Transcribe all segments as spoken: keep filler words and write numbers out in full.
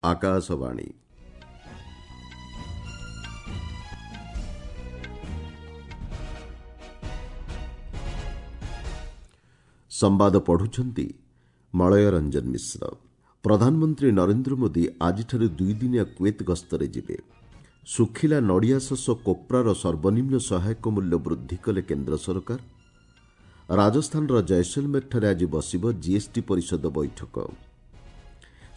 ଆକାଶବାଣୀ। ସମ୍ବାଦ ପଢୁଛନ୍ତି ମଳୟ ରଞ୍ଜନ ମିଶ୍ର। ପ୍ରଧାନମନ୍ତ୍ରୀ ନରେନ୍ଦ୍ର ମୋଦି ଆଜିଠାରୁ ଦୁଇଦିନିଆ କୁଏତ ଗସ୍ତରେ ଯିବେ। ଶୁଖିଲା ନଡ଼ିଆ ଶସ କୋପ୍ରାର ସର୍ବନିମ୍ନ ସହାୟକ ମୂଲ୍ୟ ବୃଦ୍ଧି କଲେ କେନ୍ଦ୍ର ସରକାର। ରାଜସ୍ଥାନର ଜୟସଲମେରଠାରେ ଆଜି ବସିବ ଜିଏସ୍ଟି ପରିଷଦ ବୈଠକ।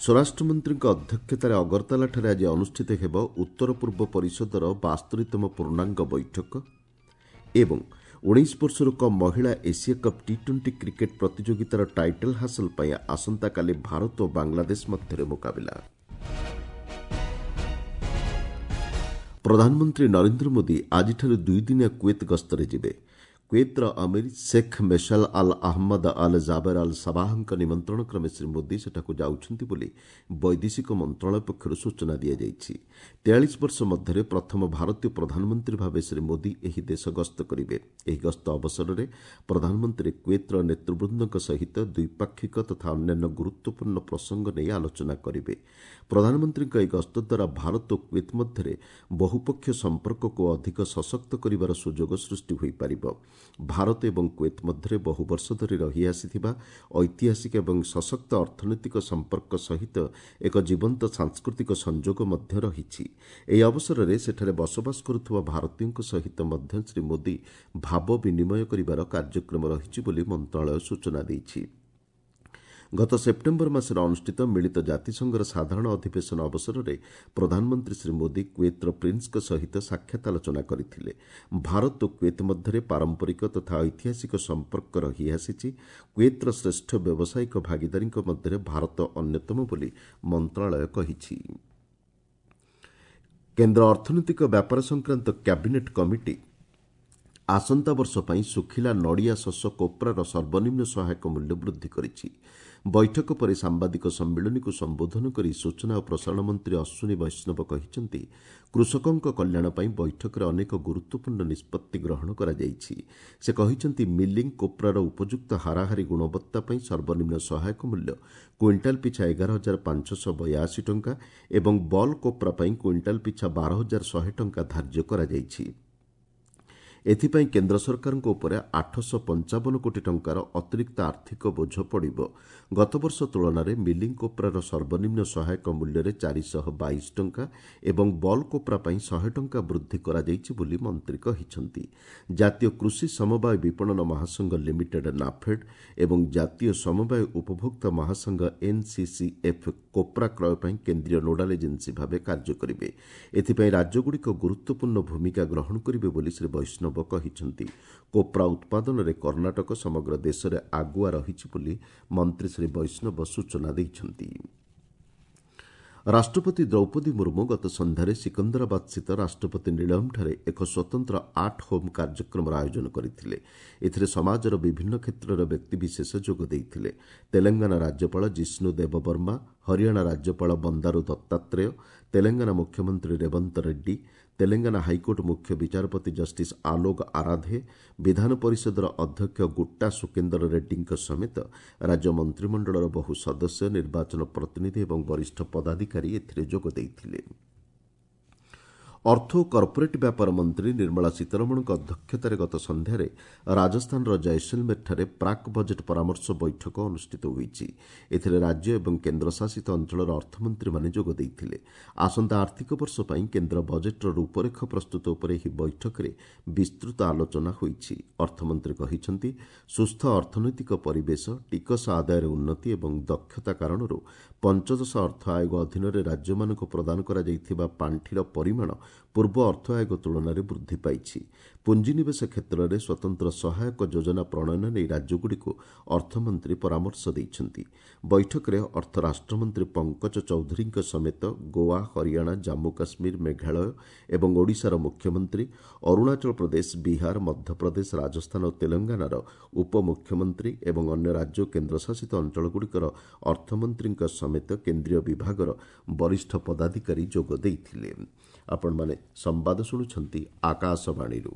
ସ୍ୱରାଷ୍ଟ୍ରମନ୍ତ୍ରୀଙ୍କ ଅଧ୍ୟକ୍ଷତାରେ ଅଗରତାଲାଠାରେ ଆଜି ଅନୁଷ୍ଠିତ ହେବ ଉତ୍ତର ପୂର୍ବ ପରିଷଦର ବାସ୍ତରୀତମ ପୂର୍ଣ୍ଣାଙ୍ଗ ବୈଠକ ଏବଂ ଉଣେଇଶ ବର୍ଷରୁ କମ୍ ମହିଳା Asia cup T twenty cricket ପ୍ରତିଯୋଗିତାର ଟାଇଟଲ୍ ହାସଲ ପାଇଁ ଆସନ୍ତାକାଲି ଭାରତ ଓ ବାଂଲାଦେଶ ମଧ୍ୟରେ ମୁକାବିଲା। ପ୍ରଧାନମନ୍ତ୍ରୀ ନରେନ୍ଦ୍ର ମୋଦି ଆଜିଠାରୁ ଦୁଇଦିନିଆ କୁଏତ ଗସ୍ତରେ ଯିବେ। କୁଏତର ଅମିର Sheikh Meshal Al Ahmad Al Jaber Al ସାବାହଙ୍କ ନିମନ୍ତ୍ରଣ କ୍ରମେ ଶ୍ରୀ ମୋଦି ସେଠାକୁ ଯାଉଛନ୍ତି ବୋଲି ବୈଦେଶିକ ମନ୍ତ୍ରଣାଳୟ ପକ୍ଷରୁ ସୂଚନା ଦିଆଯାଇଛି। ତେୟାଳିଶ ବର୍ଷ ମଧ୍ୟରେ ପ୍ରଥମ ଭାରତୀୟ ପ୍ରଧାନମନ୍ତ୍ରୀ ଭାବେ ଶ୍ରୀ ମୋଦି ଏହି ଦେଶ ଗସ୍ତ କରିବେ। ଏହି ଗସ୍ତ ଅବସରରେ ପ୍ରଧାନମନ୍ତ୍ରୀ କୁଏତର ନେତୃବୃନ୍ଦଙ୍କ ସହିତ ଦ୍ୱିପାକ୍ଷିକ ତଥା ଅନ୍ୟାନ୍ୟ ଗୁରୁତ୍ୱପୂର୍ଣ୍ଣ ପ୍ରସଙ୍ଗ ନେଇ ଆଲୋଚନା କରିବେ। ପ୍ରଧାନମନ୍ତ୍ରୀଙ୍କ ଏହି ଗସ୍ତ ଦ୍ୱାରା ଭାରତ ଓ କୁଏତ ମଧ୍ୟରେ ବହୁପକ୍ଷୀୟ ସମ୍ପର୍କକୁ ଅଧିକ ସଶକ୍ତ କରିବାର ସୁଯୋଗ ସୃଷ୍ଟି ହୋଇପାରିବ। ଭାରତ ଏବଂ କୁଏତ ମଧ୍ୟରେ ବହୁ ବର୍ଷ ଧରି ରହିଆସିଥିବା ଐତିହାସିକ ଏବଂ ସଶକ୍ତ ଅର୍ଥନୈତିକ ସମ୍ପର୍କ ସହିତ ଏକ ଜୀବନ୍ତ ସାଂସ୍କୃତିକ ସଂଯୋଗ ମଧ୍ୟ ରହିଛି। ଏହି ଅବସରରେ ସେଠାରେ ବସବାସ କରୁଥିବା ଭାରତୀୟଙ୍କ ସହିତ ମଧ୍ୟ ଶ୍ରୀ ମୋଦି ଭାବ ବିନିମୟ କରିବାର କାର୍ଯ୍ୟକ୍ରମ ରହିଛି ବୋଲି ମନ୍ତ୍ରଣାଳୟ ସୂଚନା ଦେଇଛି। ଗତ ସେପ୍ଟେମ୍ବର ମାସରେ ଅନୁଷ୍ଠିତ ମିଳିତ ଜାତିସଂଘର ସାଧାରଣ ଅଧିବେଶନ ଅବସରରେ ପ୍ରଧାନମନ୍ତ୍ରୀ ଶ୍ରୀ ମୋଦି କୁଏତର ପ୍ରିନ୍ସଙ୍କ ସହିତ ସାକ୍ଷାତ ଆଲୋଚନା କରିଥିଲେ। ଭାରତ ଓ କୁଏତ ମଧ୍ୟରେ ପାରମ୍ପରିକ ତଥା ଐତିହାସିକ ସମ୍ପର୍କ ରହିଆସିଛି। କୁଏତର ଶ୍ରେଷ୍ଠ ବ୍ୟବସାୟିକ ଭାଗିଦାରୀଙ୍କ ମଧ୍ୟରେ ଭାରତ ଅନ୍ୟତମ ବୋଲି ମନ୍ତ୍ରଣାଳୟ କହିଛି। କେନ୍ଦ୍ର ଅର୍ଥନୈତିକ ବ୍ୟାପାର ସଂକ୍ରାନ୍ତ କ୍ୟାବିନେଟ୍ କମିଟି ଆସନ୍ତା ବର୍ଷ ପାଇଁ ଶୁଖିଲା ନଡ଼ିଆ ଶସ କୋପ୍ରାର ସର୍ବନିମ୍ନ ସହାୟକ ମୂଲ୍ୟ ବୃଦ୍ଧି କରିଛି। ବୈଠକ ପରେ ସାମ୍ବାଦିକ ସମ୍ମିଳନୀକୁ ସମ୍ବୋଧନ କରି ସୂଚନା ଓ ପ୍ରସାରଣ ମନ୍ତ୍ରୀ ଅଶ୍ୱିନୀ ବୈଷ୍ଣବ କହିଛନ୍ତି, କୃଷକଙ୍କ କଲ୍ୟାଣ ପାଇଁ ବୈଠକରେ ଅନେକ ଗୁରୁତ୍ୱପୂର୍ଣ୍ଣ ନିଷ୍ପତ୍ତି ଗ୍ରହଣ କରାଯାଇଛି। ସେ କହିଛନ୍ତି, ମିଲିଂ କୋପ୍ରାର ଉପଯୁକ୍ତ ହାରାହାରି ଗୁଣବତ୍ତା ପାଇଁ ସର୍ବନିମ୍ନ ସହାୟକ ମୂଲ୍ୟ କୁଇଣ୍ଟାଲ ପିଛା ଏଗାର ହଜାର ପାଞ୍ଚଶହ ବୟାଅଶୀ ଟଙ୍କା ଏବଂ ବଲ୍ କୋପ୍ରା ପାଇଁ କୁଇଣ୍ଟାଲ ପିଛା ବାର ହଜାର ଶହେ ଟଙ୍କା ଧାର୍ଯ୍ୟ କରାଯାଇଛି। ଏଥିପାଇଁ କେନ୍ଦ୍ର ସରକାରଙ୍କ ଉପରେ ଆଠଶହ ପଞ୍ଚାବନ କୋଟି ଟଙ୍କାର ଅତିରିକ୍ତ ଆର୍ଥିକ ବୋଝ ପଡ଼ିବ। ଗତବର୍ଷ ତୁଳନାରେ ମିଲିଂ କୋପ୍ରାର ସର୍ବନିମ୍ନ ସହାୟକ ମୂଲ୍ୟରେ ଚାରିଶହ ବାଇଶ ଟଙ୍କା ଏବଂ ବଲ୍ କୋପ୍ରା ପାଇଁ ଶହେ ଟଙ୍କା ବୃଦ୍ଧି କରାଯାଇଛି ବୋଲି ମନ୍ତ୍ରୀ କହିଛନ୍ତି। ଜାତୀୟ କୃଷି ସମବାୟ ବିପଣନ ମହାସଂଘ ଲିମିଟେଡ୍ ନାଫେଡ୍ ଏବଂ ଜାତୀୟ ସମବାୟ ଉପଭୋକ୍ତା ମହାସଂଘ ଏନ୍ସିସିଏଫ୍ କୋପ୍ରା କ୍ରୟ ପାଇଁ କେନ୍ଦ୍ରୀୟ ନୋଡାଲ ଏଜେନ୍ସି ଭାବେ କାର୍ଯ୍ୟ କରିବେ। ଏଥିପାଇଁ ରାଜ୍ୟଗୁଡ଼ିକ ଗୁରୁତ୍ୱପୂର୍ଣ୍ଣ ଭୂମିକା ଗ୍ରହଣ କରିବେ ବୋଲି ଶ୍ରୀ ବୈଷ୍ଣବ କହିଛନ୍ତି। କୋପ୍ରା ଉତ୍ପାଦନରେ କର୍ଣ୍ଣାଟକ ସମଗ୍ର ଦେଶରେ ଆଗୁଆ ରହିଛି ବୋଲି ମନ୍ତ୍ରୀ ଶ୍ରୀ ବୈଷ୍ଣବ ସୂଚନା ଦେଇଛନ୍ତି। ରାଷ୍ଟ୍ରପତି ଦ୍ରୌପଦୀ ମୁର୍ମୁ ଗତ ସନ୍ଧ୍ୟାରେ ସିକନ୍ଦରାବାଦସ୍ଥିତ ରାଷ୍ଟ୍ରପତି ନିଳୟମଠାରେ ଏକ ସ୍ୱତନ୍ତ୍ର ଆଟ୍ ହୋମ୍ କାର୍ଯ୍ୟକ୍ରମର ଆୟୋଜନ କରିଥିଲେ। ଏଥିରେ ସମାଜର ବିଭିନ୍ନ କ୍ଷେତ୍ରର ବ୍ୟକ୍ତିବିଶେଷ ଯୋଗ ଦେଇଥିଲେ। ତେଲେଙ୍ଗାନା ରାଜ୍ୟପାଳ ଜିଷ୍ଣୁ ଦେବବର୍ମା, ହରିୟାଣା ରାଜ୍ୟପାଳ ବନ୍ଦାରୁ ଦତ୍ତାତ୍ରେୟ, ତେଲେଙ୍ଗାନା ମୁଖ୍ୟମନ୍ତ୍ରୀ ରେବନ୍ତ ରେଡ୍ଡୀ, ତେଲେଙ୍ଗାନା ହାଇକୋର୍ଟ ମୁଖ୍ୟ ବିଚାରପତି ଜଷ୍ଟିସ୍ ଆଲୋକ ଆରାଧେ, ବିଧାନ ପରିଷଦର ଅଧ୍ୟକ୍ଷ ଗୁଟ୍ଟା ସୁକେନ୍ଦର ରେଡ୍ଡୀଙ୍କ ସମେତ ରାଜ୍ୟ ମନ୍ତ୍ରିମଣ୍ଡଳର ବହୁ ସଦସ୍ୟ, ନିର୍ବାଚନ ପ୍ରତିନିଧି ଏବଂ ବରିଷ୍ଠ ପଦାଧିକାରୀ ଏଥିରେ ଯୋଗ ଦେଇଥିଲେ। ଅର୍ଥ ଓ କର୍ପୋରେଟ୍ ବ୍ୟାପାର ମନ୍ତ୍ରୀ ନିର୍ମଳା ସୀତାରମଣଙ୍କ ଅଧ୍ୟକ୍ଷତାରେ ଗତ ସନ୍ଧ୍ୟାରେ ରାଜସ୍ଥାନର ଜୟସଲମେରଠାରେ ପ୍ରାକ୍ ବଜେଟ୍ ପରାମର୍ଶ ବୈଠକ ଅନୁଷ୍ଠିତ ହୋଇଛି। ଏଥିରେ ରାଜ୍ୟ ଏବଂ କେନ୍ଦ୍ରଶାସିତ ଅଞ୍ଚଳର ଅର୍ଥମନ୍ତ୍ରୀମାନେ ଯୋଗ ଦେଇଥିଲେ। ଆସନ୍ତା ଆର୍ଥିକ ବର୍ଷ ପାଇଁ କେନ୍ଦ୍ର ବଜେଟ୍ର ରୂପରେଖ ପ୍ରସ୍ତୁତ ଉପରେ ଏହି ବୈଠକରେ ବିସ୍ତୃତ ଆଲୋଚନା ହୋଇଛି। ଅର୍ଥମନ୍ତ୍ରୀ କହିଛନ୍ତି, ସୁସ୍ଥ ଅର୍ଥନୈତିକ ପରିବେଶ, ଟିକସ ଆଦାୟରେ ଉନ୍ନତି ଏବଂ ଦକ୍ଷତା କାରଣରୁ ପଞ୍ଚଦଶ ଅର୍ଥ ଆୟୋଗ ଅଧୀନରେ ରାଜ୍ୟମାନଙ୍କୁ ପ୍ରଦାନ କରାଯାଇଥିବା ପାଣ୍ଠିର ପରିମାଣ ପୂର୍ବ ଅର୍ଥ ଆୟୋଗ ତୁଳନାରେ ବୃଦ୍ଧି ପାଇଛି। ପୁଞ୍ଜିନିବେଶ କ୍ଷେତ୍ରରେ ସ୍ୱତନ୍ତ୍ର ସହାୟକ ଯୋଜନା ପ୍ରଣୟନ ନେଇ ରାଜ୍ୟଗୁଡ଼ିକୁ ଅର୍ଥମନ୍ତ୍ରୀ ପରାମର୍ଶ ଦେଇଛନ୍ତି। ବୈଠକରେ ଅର୍ଥ ରାଷ୍ଟ୍ରମନ୍ତ୍ରୀ ପଙ୍କଜ ଚୌଧୁରୀଙ୍କ ସମେତ ଗୋଆ, ହରିୟାଣା, ଜାମ୍ମୁ କାଶ୍ମୀର, ମେଘାଳୟ ଏବଂ ଓଡ଼ିଶାର ମୁଖ୍ୟମନ୍ତ୍ରୀ, ଅରୁଣାଚଳ ପ୍ରଦେଶ, ବିହାର, ମଧ୍ୟପ୍ରଦେଶ, ରାଜସ୍ଥାନ ଓ ତେଲେଙ୍ଗାନାର ଉପମୁଖ୍ୟମନ୍ତ୍ରୀ ଏବଂ ଅନ୍ୟ ରାଜ୍ୟ ଓ କେନ୍ଦ୍ରଶାସିତ ଅଞ୍ଚଳଗୁଡ଼ିକର ଅର୍ଥମନ୍ତ୍ରୀଙ୍କ ସମେତ କେନ୍ଦ୍ରୀୟ ବିଭାଗର ବରିଷ୍ଠ ପଦାଧିକାରୀ ଯୋଗ ଦେଇଥିଲେ। ଆପଣମାନେ ସମ୍ବାଦ ଶୁଣୁଛନ୍ତି ଆକାଶବାଣୀରୁ।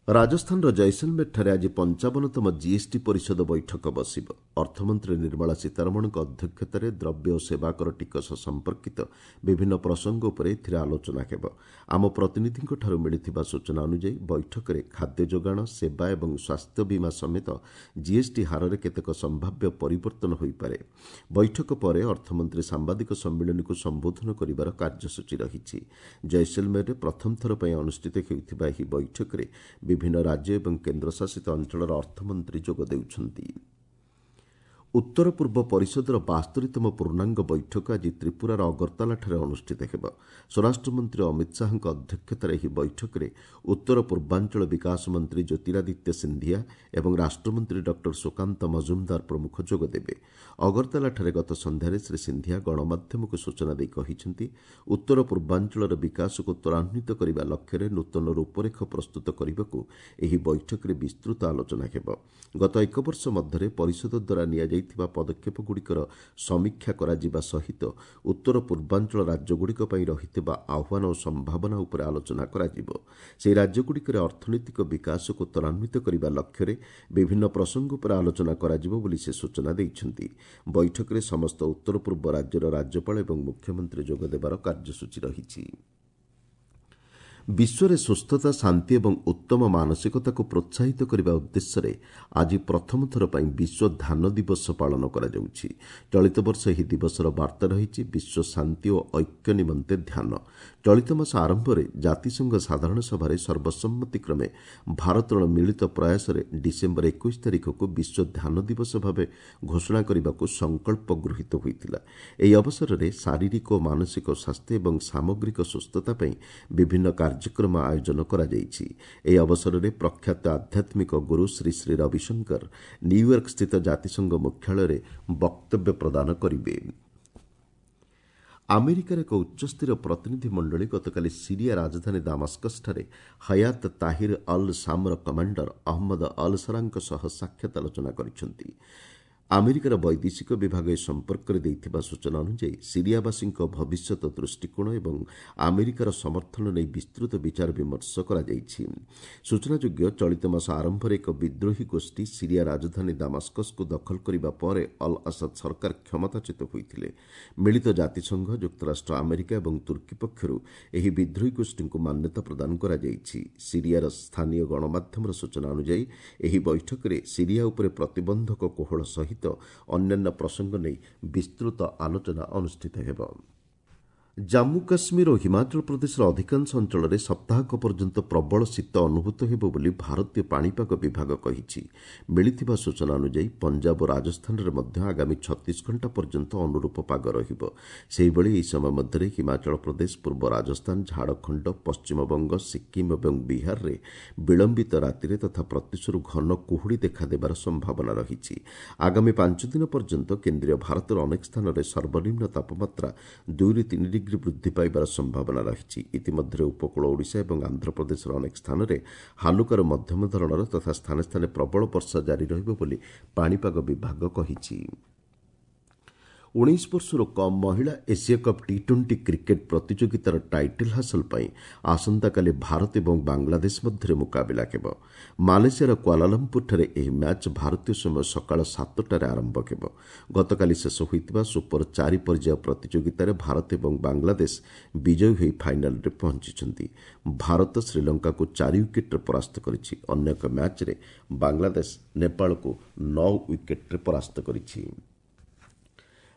ରାଜସ୍ଥାନର ଜୈସଲମେରଠାରେ ଆଜି ପଞ୍ଚାବନତମ ଜିଏସ୍ଟି ପରିଷଦ ବୈଠକ ବସିବ। ଅର୍ଥମନ୍ତ୍ରୀ ନିର୍ମଳା ସୀତାରମଣଙ୍କ ଅଧ୍ୟକ୍ଷତାରେ ଦ୍ରବ୍ୟ ଓ ସେବାକର ଟିକସ ସମ୍ପର୍କିତ ବିଭିନ୍ନ ପ୍ରସଙ୍ଗ ଉପରେ ଏଥିରେ ଆଲୋଚନା ହେବ। ଆମ ପ୍ରତିନିଧିଙ୍କଠାରୁ ମିଳିଥିବା ସୂଚନା ଅନୁଯାୟୀ ବୈଠକରେ ଖାଦ୍ୟ ଯୋଗାଣ, ସେବା ଏବଂ ସ୍ୱାସ୍ଥ୍ୟ ବୀମା ସମେତ ଜିଏସ୍ଟି ହାରରେ କେତେକ ସମ୍ଭାବ୍ୟ ପରିବର୍ତ୍ତନ ହୋଇପାରେ। ବୈଠକ ପରେ ଅର୍ଥମନ୍ତ୍ରୀ ସାମ୍ବାଦିକ ସମ୍ମିଳନୀକୁ ସମ୍ବୋଧନ କରିବାର କାର୍ଯ୍ୟସୂଚୀ ରହିଛି। ଜୈସଲମେରରେ ପ୍ରଥମ ଥର ପାଇଁ ଅନୁଷ୍ଠିତ ହେଉଥିବା ଏହି ବୈଠକରେ ବିଭିନ୍ନ ରାଜ୍ୟ ଏବଂ କେନ୍ଦ୍ରଶାସିତ ଅଞ୍ଚଳର ଅର୍ଥମନ୍ତ୍ରୀ ଯୋଗ ଦେଉଛନ୍ତି। ଉତ୍ତର ପୂର୍ବ ପରିଷଦର ବାସ୍ତରୀତମ ପୂର୍ଣ୍ଣାଙ୍ଗ ବୈଠକ ଆଜି ତ୍ରିପୁରାର ଅଗରତାଲାଠାରେ ଅନୁଷ୍ଠିତ ହେବ। ସ୍ୱରାଷ୍ଟ୍ରମନ୍ତ୍ରୀ ଅମିତ ଶାହାଙ୍କ ଅଧ୍ୟକ୍ଷତାରେ ଏହି ବୈଠକରେ ଉତ୍ତର ପୂର୍ବାଞ୍ଚଳ ବିକାଶ ମନ୍ତ୍ରୀ ଜ୍ୟୋତିରାଦିତ୍ୟ ସିନ୍ଧିଆ ଏବଂ ରାଷ୍ଟ୍ରମନ୍ତ୍ରୀ ଡକ୍ଟର ସୁକାନ୍ତ ମଜୁମଦାର ପ୍ରମୁଖ ଯୋଗଦେବେ। ଅଗରତାଲାଠାରେ ଗତ ସନ୍ଧ୍ୟାରେ ଶ୍ରୀ ସିନ୍ଧିଆ ଗଣମାଧ୍ୟମକୁ ସୂଚନା ଦେଇ କହିଛନ୍ତି, ଉତ୍ତର ପୂର୍ବାଞ୍ଚଳର ବିକାଶକୁ ତ୍ୱରାନ୍ୱିତ କରିବା ଲକ୍ଷ୍ୟରେ ନୂତନ ରୂପରେଖ ପ୍ରସ୍ତୁତ କରିବାକୁ ଏହି ବୈଠକରେ ବିସ୍ତୃତ ଆଲୋଚନା ହେବ। ଗତ ଏକ ବର୍ଷ ମଧ୍ୟରେ ପରିଷଦ ଦ୍ୱାରା ନିଆଯାଇ ଥିବା ପଦକ୍ଷେପଗୁଡ଼ିକର ସମୀକ୍ଷା କରାଯିବା ସହିତ ଉତ୍ତର ପୂର୍ବାଞ୍ଚଳ ରାଜ୍ୟଗୁଡ଼ିକ ପାଇଁ ରହିଥିବା ଆହ୍ୱାନ ଓ ସମ୍ଭାବନା ଉପରେ ଆଲୋଚନା କରାଯିବ। ସେହି ରାଜ୍ୟଗୁଡ଼ିକରେ ଅର୍ଥନୈତିକ ବିକାଶକୁ ତ୍ୱରାନ୍ୱିତ କରିବା ଲକ୍ଷ୍ୟରେ ବିଭିନ୍ନ ପ୍ରସଙ୍ଗ ଉପରେ ଆଲୋଚନା କରାଯିବ ବୋଲି ସେ ସୂଚନା ଦେଇଛନ୍ତି। ବୈଠକରେ ସମସ୍ତ ଉତ୍ତର ପୂର୍ବ ରାଜ୍ୟର ରାଜ୍ୟପାଳ ଏବଂ ମୁଖ୍ୟମନ୍ତ୍ରୀ ଯୋଗଦେବାର କାର୍ଯ୍ୟସୂଚୀ ରହିଛି। ବିଶ୍ୱରେ ସୁସ୍ଥତା, ଶାନ୍ତି ଏବଂ ଉତ୍ତମ ମାନସିକତାକୁ ପ୍ରୋତ୍ସାହିତ କରିବା ଉଦ୍ଦେଶ୍ୟରେ ଆଜି ପ୍ରଥମ ଥର ପାଇଁ ବିଶ୍ୱ ଧ୍ୟାନ ଦିବସ ପାଳନ କରାଯାଉଛି। ଚଳିତ ବର୍ଷ ଏହି ଦିବସର ବାର୍ତ୍ତା ରହିଛି ବିଶ୍ୱ ଶାନ୍ତି ଓ ଐକ୍ୟ ନିମନ୍ତେ ଧ୍ୟାନ। ଚଳିତ ମାସ ଆରମ୍ଭରେ ଜାତିସଂଘ ସାଧାରଣ ସଭାରେ ସର୍ବସମ୍ମତିକ୍ରମେ ଭାରତର ମିଳିତ ପ୍ରୟାସରେ ଡିସେମ୍ବର ଏକୋଇଶ ତାରିଖକୁ ବିଶ୍ୱ ଧ୍ୟାନ ଦିବସ ଭାବେ ଘୋଷଣା କରିବାକୁ ସଂକଳ୍ପ ଗୃହୀତ ହୋଇଥିଲା। ଏହି ଅବସରରେ ଶାରୀରିକ ଓ ମାନସିକ ସ୍ୱାସ୍ଥ୍ୟ ଏବଂ ସାମଗ୍ରିକ ସୁସ୍ଥତା ପାଇଁ ବିଭିନ୍ନ କାର୍ଯ୍ୟକ୍ରମ ଆୟୋଜନ କରାଯାଇଛି। ଏହି ଅବସରରେ ପ୍ରଖ୍ୟାତ ଆଧ୍ୟାତ୍ମିକ ଗୁରୁ ଶ୍ରୀ ଶ୍ରୀ ରବିଶଙ୍କର ନ୍ୟୁୟର୍କ ସ୍ଥିତ ଜାତିସଂଘ ମୁଖ୍ୟାଳୟରେ ବକ୍ତବ୍ୟ ପ୍ରଦାନ କରିବେ। ଆମେରିକାର ଏକ ଉଚ୍ଚସ୍ତରୀୟ ପ୍ରତିନିଧି ମଣ୍ଡଳୀ ଗତକାଲି ସିରିଆ ରାଜଧାନୀ ଦାମାସ୍କସଠାରେ ହୟାତ ତାହିର ଅଲ୍ ଶାମ୍ର କମାଣ୍ଡର ଅହମ୍ମଦ ଅଲ୍ ସରାଙ୍କ ସହ ସାକ୍ଷାତ ଆଲୋଚନା କରିଛନ୍ତି। ଆମେରିକାର ବୈଦେଶିକ ବିଭାଗ ଏ ସମ୍ପର୍କରେ ଦେଇଥିବା ସୂଚନା ଅନୁଯାୟୀ ସିରିଆବାସୀଙ୍କ ଭବିଷ୍ୟତ ଦୃଷ୍ଟିକୋଣ ଏବଂ ଆମେରିକାର ସମର୍ଥନ ନେଇ ବିସ୍ତୃତ ବିଚାର ବିମର୍ଶ କରାଯାଇଛି। ସୂଚନାଯୋଗ୍ୟ, ଚଳିତ ମାସ ଆରମ୍ଭରେ ଏକ ବିଦ୍ରୋହୀ ଗୋଷ୍ଠୀ ସିରିଆ ରାଜଧାନୀ ଦାମାସ୍କସକୁ ଦଖଲ କରିବା ପରେ ଅଲ୍ ଆସାଦ ସରକାର କ୍ଷମତାଚ୍ୟୁତ ହୋଇଥିଲେ। ମିଳିତ ଜାତିସଂଘ, ଯୁକ୍ତରାଷ୍ଟ୍ର ଆମେରିକା ଏବଂ ତୁର୍କୀ ପକ୍ଷରୁ ଏହି ବିଦ୍ରୋହୀ ଗୋଷ୍ଠୀଙ୍କୁ ମାନ୍ୟତା ପ୍ରଦାନ କରାଯାଇଛି। ସିରିଆର ସ୍ଥାନୀୟ ଗଣମାଧ୍ୟମର ସୂଚନା ଅନୁଯାୟୀ ଏହି ବୈଠକରେ ସିରିଆ ଉପରେ ପ୍ରତିବନ୍ଧକ କୋହଳ ସହିତ ଅନ୍ୟାନ୍ୟ ପ୍ରସଙ୍ଗ ନେଇ ବିସ୍ତୃତ ଆଲୋଚନା ଅନୁଷ୍ଠିତ ହେବ। ଜାମ୍ମୁ କାଶ୍ମୀର ଓ ହିମାଚଳ ପ୍ରଦେଶର ଅଧିକାଂଶ ଅଞ୍ଚଳରେ ସପ୍ତାହକ ପର୍ଯ୍ୟନ୍ତ ପ୍ରବଳ ଶୀତ ଅନୁଭୂତ ହେବ ବୋଲି ଭାରତୀୟ ପାଣିପାଗ ବିଭାଗ କହିଛି। ମିଳିଥିବା ସୂଚନା ଅନୁଯାୟୀ ପଞ୍ଜାବ ଓ ରାଜସ୍ଥାନରେ ମଧ୍ୟ ଆଗାମୀ ଛତିଶ ଘଣ୍ଟା ପର୍ଯ୍ୟନ୍ତ ଅନୁରୂପ ପାଗ ରହିବ। ସେହିଭଳି ଏହି ସମୟ ମଧ୍ୟରେ ହିମାଚଳ ପ୍ରଦେଶ, ପୂର୍ବ ରାଜସ୍ଥାନ, ଝାଡ଼ଖଣ୍ଡ, ପଶ୍ଚିମବଙ୍ଗ, ସିକ୍କିମ୍ ଏବଂ ବିହାରରେ ବିଳମ୍ବିତ ରାତିରେ ତଥା ପ୍ରତ୍ୟୁଷରୁ ଘନ କୁହୁଡ଼ି ଦେଖାଦେବାର ସମ୍ଭାବନା ରହିଛି। ଆଗାମୀ ପାଞ୍ଚ ଦିନ ପର୍ଯ୍ୟନ୍ତ କେନ୍ଦ୍ରୀୟ ଭାରତର ଅନେକ ସ୍ଥାନରେ ସର୍ବନିମ୍ନ ତାପମାତ୍ରା ଦୁଇରୁ ତିନି ଡିଗ୍ରୀ ବୃଦ୍ଧି ପାଇବାର ସମ୍ଭାବନା ରହିଛି। ଇତିମଧ୍ୟରେ ଉପକୂଳ ଓଡ଼ିଶା ଏବଂ ଆନ୍ଧ୍ରପ୍ରଦେଶର ଅନେକ ସ୍ଥାନରେ ହାଲୁକାରୁ ମଧ୍ୟମ ଧରଣର ତଥା ସ୍ଥାନେ ସ୍ଥାନେ ପ୍ରବଳ ବର୍ଷା ଜାରି ରହିବ ବୋଲି ପାଣିପାଗ ବିଭାଗ କହିଛି। ଉଣେଇଶ ବର୍ଷରୁ କମ୍ ମହିଳା Asia cup T twenty cricket ପ୍ରତିଯୋଗିତାର ଟାଇଟଲ୍ ହାସଲ ପାଇଁ ଆସନ୍ତାକାଲି ଭାରତ ଏବଂ ବାଂଲାଦେଶ ମଧ୍ୟରେ ମୁକାବିଲା ହେବ। ମାଲେସିଆର କ୍ୱାଲାଲମ୍ପୁରଠାରେ ଏହି ମ୍ୟାଚ୍ ଭାରତୀୟ ସମୟ ସକାଳ ସାତଟାରେ ଆରମ୍ଭ ହେବ। ଗତକାଲି ଶେଷ ହୋଇଥିବା ସୁପର ଚାରି ପର୍ଯ୍ୟାୟ ପ୍ରତିଯୋଗିତାରେ ଭାରତ ଏବଂ ବାଂଲାଦେଶ ବିଜୟୀ ହୋଇ ଫାଇନାଲରେ ପହଞ୍ଚିଛନ୍ତି। ଭାରତ ଶ୍ରୀଲଙ୍କାକୁ ଚାରି ୱିକେଟ୍ରେ ପରାସ୍ତ କରିଛି। ଅନ୍ୟ ଏକ ମ୍ୟାଚ୍ରେ ବାଂଲାଦେଶ ନେପାଳକୁ ନଅ ୱିକେଟ୍ରେ ପରାସ୍ତ କରିଛି।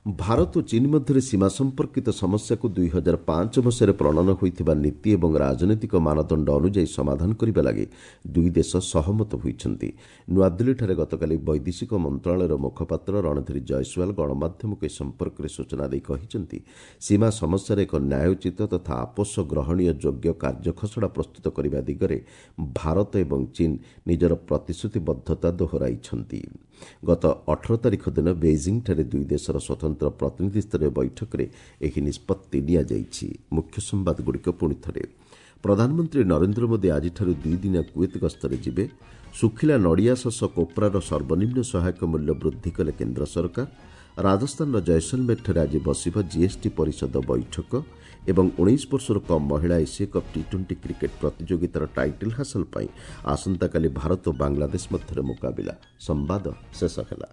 ଭାରତ ଓ ଚୀନ୍ ମଧ୍ୟରେ ସୀମା ସମ୍ପର୍କିତ ସମସ୍ୟାକୁ ଦୁଇ ହଜାର ପାଞ୍ଚ ମସିହାରେ ପ୍ରଣୟନ ହୋଇଥିବା ନୀତି ଏବଂ ରାଜନୈତିକ ମାନଦଣ୍ଡ ଅନୁଯାୟୀ ସମାଧାନ କରିବା ଲାଗି ଦୁଇ ଦେଶ ସହମତ ହୋଇଛନ୍ତି। ନୂଆଦିଲ୍ଲୀଠାରେ ଗତକାଲି ବୈଦେଶିକ ମନ୍ତ୍ରଣାଳୟର ମୁଖପାତ୍ର ରଣଧୀର ଜୟସ୍ୱାଲ ଗଣମାଧ୍ୟମକୁ ଏ ସମ୍ପର୍କରେ ସୂଚନା ଦେଇ କହିଛନ୍ତି, ସୀମା ସମସ୍ୟାର ଏକ ନ୍ୟାୟୋଚିତ ତଥା ଆପୋଷ ଗ୍ରହଣୀୟ ଯୋଗ୍ୟ କାର୍ଯ୍ୟଖସଡ଼ା ପ୍ରସ୍ତୁତ କରିବା ଦିଗରେ ଭାରତ ଏବଂ ଚୀନ୍ ନିଜର ପ୍ରତିଶ୍ରୁତିବଦ୍ଧତା ଦୋହରାଇଛନ୍ତି। ଗତ ଅଠର ତାରିଖ ଦିନ ବେଇଜିଂଠାରେ ଦୁଇ ଦେଶର ସ୍ୱତନ୍ତ୍ର ପ୍ରତିନିଧି ସ୍ତରୀୟ ବୈଠକରେ ଏହି ନିଷ୍ପତ୍ତି ନିଆଯାଇଛି। ମୁଖ୍ୟ ସମ୍ବାଦଗୁଡ଼ିକ ପୁଣି ଥରେ। ପ୍ରଧାନମନ୍ତ୍ରୀ ନରେନ୍ଦ୍ର ମୋଦି ଆଜିଠାରୁ ଦୁଇଦିନିଆ କୁଏତ ଗସ୍ତରେ ଯିବେ। ଶୁଖିଲା ନଡ଼ିଆ ଶସ କୋପ୍ରାର ସର୍ବନିମ୍ନ ସହାୟକ ମୂଲ୍ୟ ବୃଦ୍ଧି କଲେ କେନ୍ଦ୍ର ସରକାର। ରାଜସ୍ଥାନର ଜୟସଲମେରଠାରେ ଆଜି ବସିବ ଜିଏସ୍ଟି ପରିଷଦ ବୈଠକ ଏବଂ ଉଣେଇଶ ବର୍ଷରୁ କମ୍ ମହିଳା ଏସୀୟ କପ୍ ଟି ଟ୍ୱେଣ୍ଟି କ୍ରିକେଟ୍ ପ୍ରତିଯୋଗିତାର ଟାଇଟଲ୍ ହାସଲ ପାଇଁ ଆସନ୍ତାକାଲି ଭାରତ ଓ ବାଂଲାଦେଶ ମଧ୍ୟରେ ମୁକାବିଲା। ସମ୍ବାଦ ଶେଷ ହେଲା।